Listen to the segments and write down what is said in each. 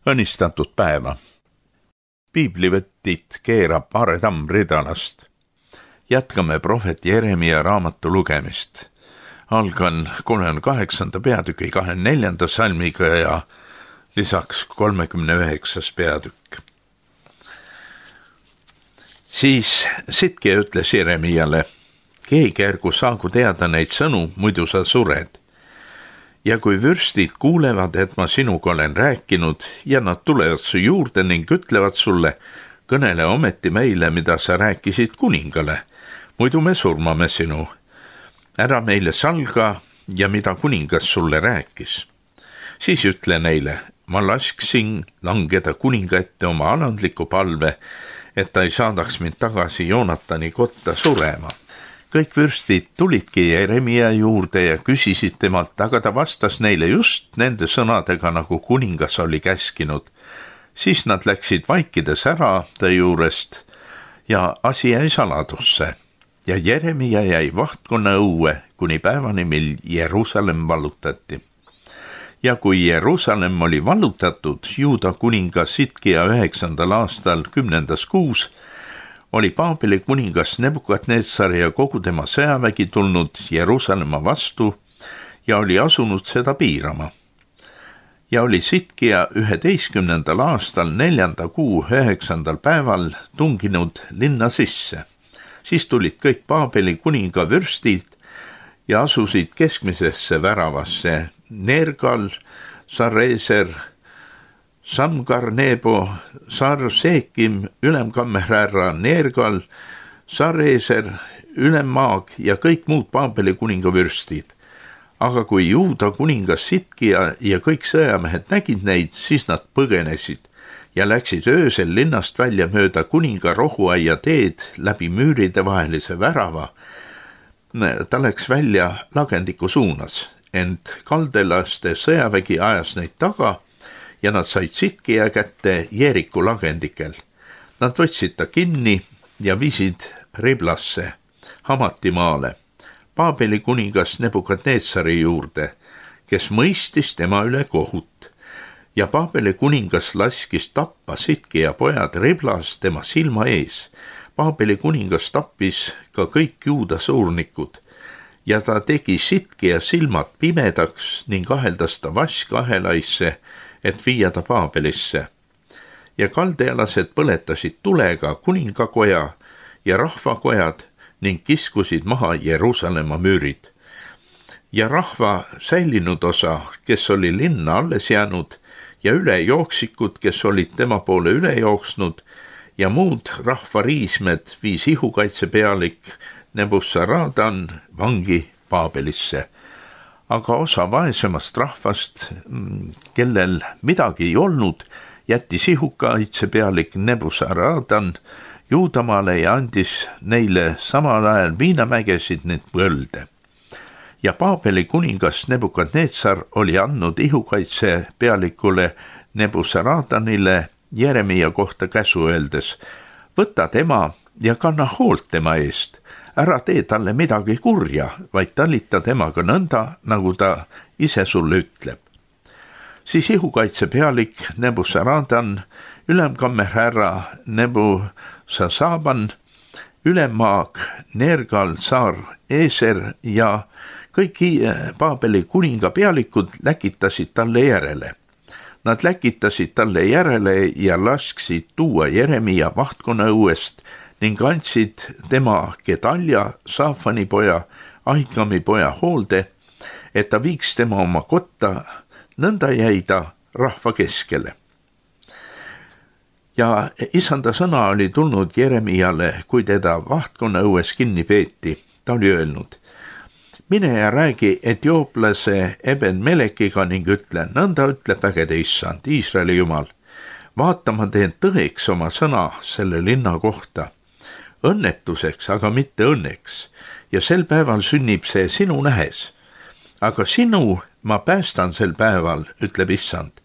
Õnnistatud päeva. Piiblivõttit keerab Aare Tamm Ridalast. Jätkame prohvet Jeremia raamatu lugemist. Algan 38. peatüki 24. salmiga ja lisaks 39. peatükk. Siis Sitkia ütles Jeremiale: keegi ärgu saagu teada neid sõnu, muidu sa sured. Ja kui vürstid kuulevad, et ma sinuga olen rääkinud ja nad tulevad su juurde ning ütlevad sulle: kõnele ometi meile, mida sa rääkisid kuningale, muidu me surmame sinu. Ära meile salga ja mida kuningas sulle rääkis. Siis ütle neile: ma lasksin langeda kuninga ette oma alandliku palve, et ta ei saadaks mind tagasi Joonatani kotta surema. Kõik vürstid tulidki Jeremia juurde ja küsisid temalt, aga ta vastas neile just nende sõnadega, nagu kuningas oli käskinud. Siis nad läksid vaikides ära ta juurest ja asi jäi saladusse. Ja Jeremia jäi vahtkonna õue kuni päevani, mil Jeruusalemm vallutati. Ja kui Jeruusalemm oli vallutatud Juuda kuninga Sitkia 9. aastal 10. kuus, oli Paabeli kuningas Nebukadnetsar ja kogu tema sõjavägi tulnud Jeruusalemma vastu ja oli asunud seda piirama. Ja oli Sitkia 11. aastal 4. kuu 9. päeval tunginud linna sisse. Siis tulid kõik Paabeli kuninga vürstid ja asusid keskmisesse väravasse: Nergal, Sareser, Samgar-Nebo, Sar-Seekim, ülemkammerhärra Nergal, Sareser, ülemmaag ja kõik muud Paabeli kuninga vürstid. Aga kui Juuda kuningas Sitkia ja kõik sõjamehed nägid neid, siis nad põgenesid ja läksid öösel linnast välja mööda kuninga rohuaia teed läbi müüride vahelise värava. Ta läks välja lagendiku suunas, ent kaldelaste sõjavägi ajas neid taga ja nad said Sitkia kätte Jeeriku lagendikel. Nad võtsid ta kinni ja viisid Riblasse, Hamatimaale, Paabeli kuningas Nebukadnetsari juurde, kes mõistis tema üle kohut. Ja Paabeli kuningas laskis tappa Sitkia pojad Riblas tema silma ees. Paabeli kuningas tappis ka kõik Juuda suurnikud ja ta tegi Sitkia silmad pimedaks ning aheldas ta vaskahelaisse, et viia ta Paabelisse. Ja kaldealased põletasid tulega kuningakoja ja rahvakojad ning kiskusid maha Jeruusalemma müürid. Ja rahva säilinud osa, kes oli linna alles jäänud, ja ülejooksikud, kes olid tema poole üle jooksnud, ja muud rahvariismed viis ihukaitsepealik Nebusaradan vangi Paabelisse. Aga osa vaesemast rahvast, kellel midagi ei olnud, jättis ihukaitsepealik Nebusaradan Juudamaale ja andis neile samal ajal viinamägesid ning põlde. Ja Paabeli kuningas Nebukadnetsar oli andnud ihukaitsepealikule Nebusaradanile Jeremia kohta käsu öeldes: võta tema ja kanna hoolt tema eest. Ära tee talle midagi kurja, vaid talita temaga nõnda, nagu ta ise sulle ütleb. Siis ihukaitsepealik Nebusaradan, ülemkammerhärra Nebusasaban, ülemmaag Nergal, Sar-Eser ja kõik Paabeli kuninga pealikud läkitasid talle järele. Nad läkitasid talle järele ja lasksid tuua Jeremia vahtkonna õuest ning andsid tema Gedalja, Saafani poja, Ahikami poja hoolde, et ta viiks tema oma kotta, nõnda jäi ta rahva keskele. Ja isanda sõna oli tulnud Jeremiale, kui teda vahtkonna õues kinni peeti. Ta oli öelnud: mine ja räägi etiooplase Eben-Melekiga ning ütle: nõnda ütleb vägede issand, Iisraeli jumal. Vaata, ma teen tõeks oma sõna selle linna kohta. Õnnetuseks, aga mitte õnneks, ja sel päeval sünnib see sinu nähes. Aga sinu ma päästan sel päeval, ütleb issand,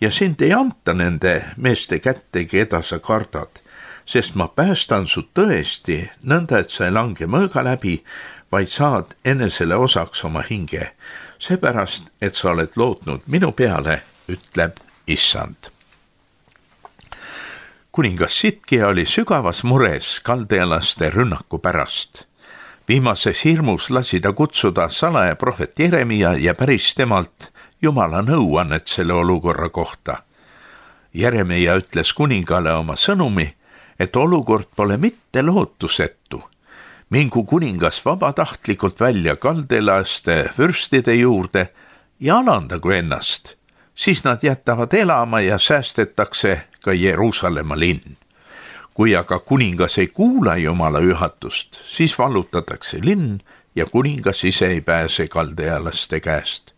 ja sind ei anta nende meeste kätte, keda sa kardad, sest ma päästan su tõesti nõnda, et sa ei lange mõõga läbi, vaid saad enesele osaks oma hinge, seepärast, et sa oled lootnud minu peale, ütleb issand. kuningas Sidkia oli sügavas mures kaldealaste rünnaku pärast. Viimases hirmus lasi ta kutsuda salaja prohvet Jeremia ja päris temalt Jumala nõuannet selle olukorra kohta. Jeremia ütles kuningale oma sõnumi, et olukord pole mitte lootusetu. Mingu kuningas vabatahtlikult välja kaldealaste vürstide juurde ja alandagu ennast. Siis nad jätavad elama ja säästetakse ka Jeruusalemma linn. Kui aga kuningas ei kuula Jumala juhatust, siis vallutatakse linn ja kuningas ise ei pääse kaldealaste käest.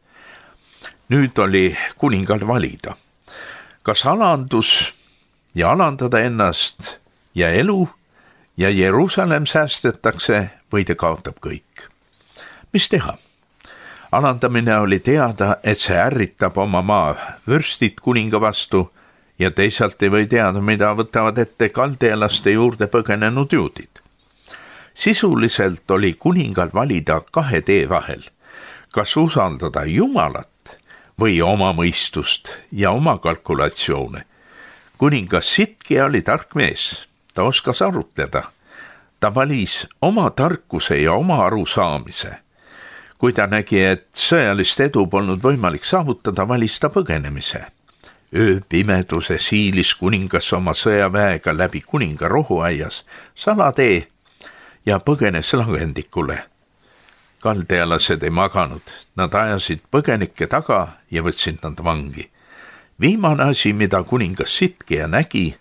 Nüüd oli kuningal valida, kas alandus ja alandada ennast ja elu ja Jeruusalemm säästetakse või ta kaotab kõik. Mis teha? Alandamine oli teada, et see ärritab oma maa vürstid kuninga vastu ja teisalt ei või teada, mida võtavad ette kaldealaste juurde põgenenud juudid. Sisuliselt oli kuningal valida 2 tee vahel, kas usaldada Jumalat või oma mõistust ja oma kalkulatsioone. Kuningas Sidkia oli tark mees, ta oskas arutleda. Ta valis oma tarkuse ja oma arusaamise. Kui ta nägi, et sõjalist edu polnud võimalik saavutada, valis ta põgenemise. Ööpimeduse siilis kuningas oma sõjaväega läbi kuninga rohuaias salatee ja põgenes lagendikule. Kaldealased ei maganud, nad ajasid põgenikke taga ja võtsid nad vangi. Viimane asi, mida kuningas Sidkia nägi,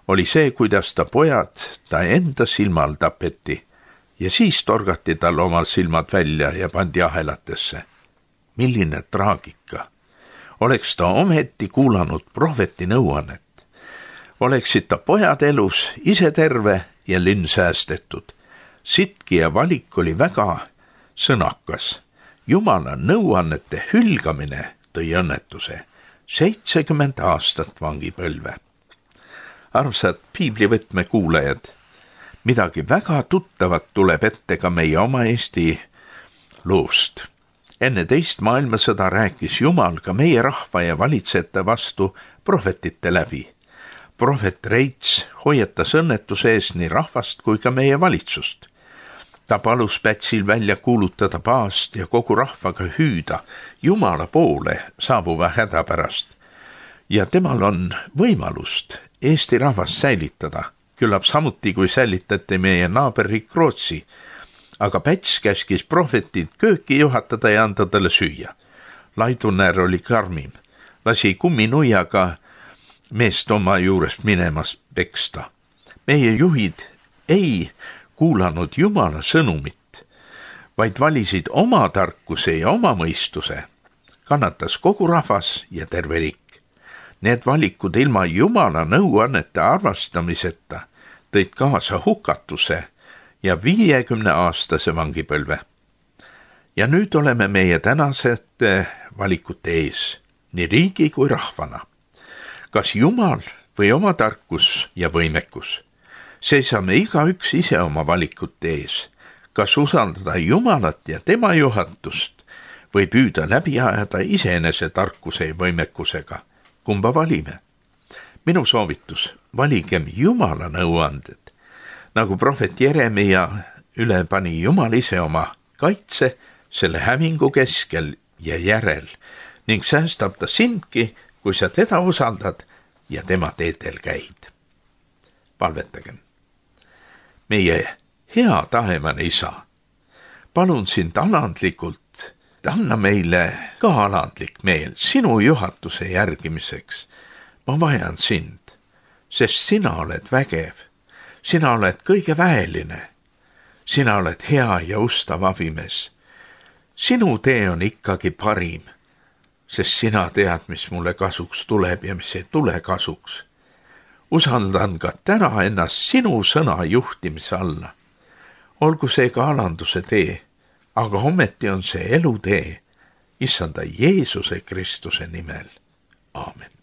oli see, kuidas ta pojad ta enda silmal tapeti ja siis torgati tal omal silmad välja ja pandi ahelatesse. Milline traagika! Oleks ta ometi kuulanud prohveti nõuannet. Oleksid ta pojad elus, ise terve ja linn säästetud. Sidkia valik oli väga sõnakas. Jumala nõuannete hülgamine tõi õnnetuse. 70 aastat vangipõlve. Armsad piiblivõtme kuulajad, midagi väga tuttavat tuleb ette ka meie oma Eesti loost. Enne teist maailmasõda rääkis Jumal ka meie rahva ja valitsejate vastu prohvetite läbi. Prohvet Reits hoiatas õnnetuse ees nii rahvast kui ka meie valitsust. Ta palus Pätsil välja kuulutada paast ja kogu rahvaga hüüda Jumala poole saabuva häda pärast. Ja temal on võimalust Eesti rahvast säilitada, küllap samuti kui säilitati meie naaberriik Rootsi, aga Päts käskis prohvetid kööki juhatada ja anda talle süüa. Laidunär oli karmim, lasi kumminuiaga meest oma juurest minemas peksta. Meie juhid ei kuulanud Jumala sõnumit, vaid valisid oma tarkuse ja oma mõistuse. Kannatas kogu rahvas ja terve riik. Need valikud ilma Jumala nõuannete arvestamiseta tõid kaasa hukatuse ja 50-aastase vangipõlve. Ja nüüd oleme meie tänasete valikute ees, nii riigi kui rahvana. Kas Jumal või oma tarkus ja võimekus? Seisame igaüks ise oma valikute ees. Kas usaldada Jumalat ja tema juhatust või püüda läbi ajada iseenese tarkuse ja võimekusega? Kumba valime? Minu soovitus, valigem Jumala nõuanded. Nagu prohvet Jeremia üle pani Jumal ise oma kaitse selle hävingu keskel ja järel ning säästab ta sindki, kui sa teda usaldad ja tema teedel käid. Palvetagem. Meie hea taevane Isa, palun sind alandlikult, anna meile ka alandlik meel sinu juhatuse järgimiseks. Ma vajan sind, sest sina oled vägev, sina oled kõige väeline, sina oled hea ja ustav abimees. Sinu tee on ikkagi parim, sest sina tead, mis mulle kasuks tuleb ja mis ei tule kasuks. Usaldan ka täna ennast sinu sõna juhtimise alla. Olgu see ka alanduse tee, aga ometi on see elutee, issanda Jeesuse Kristuse nimel. Aamen.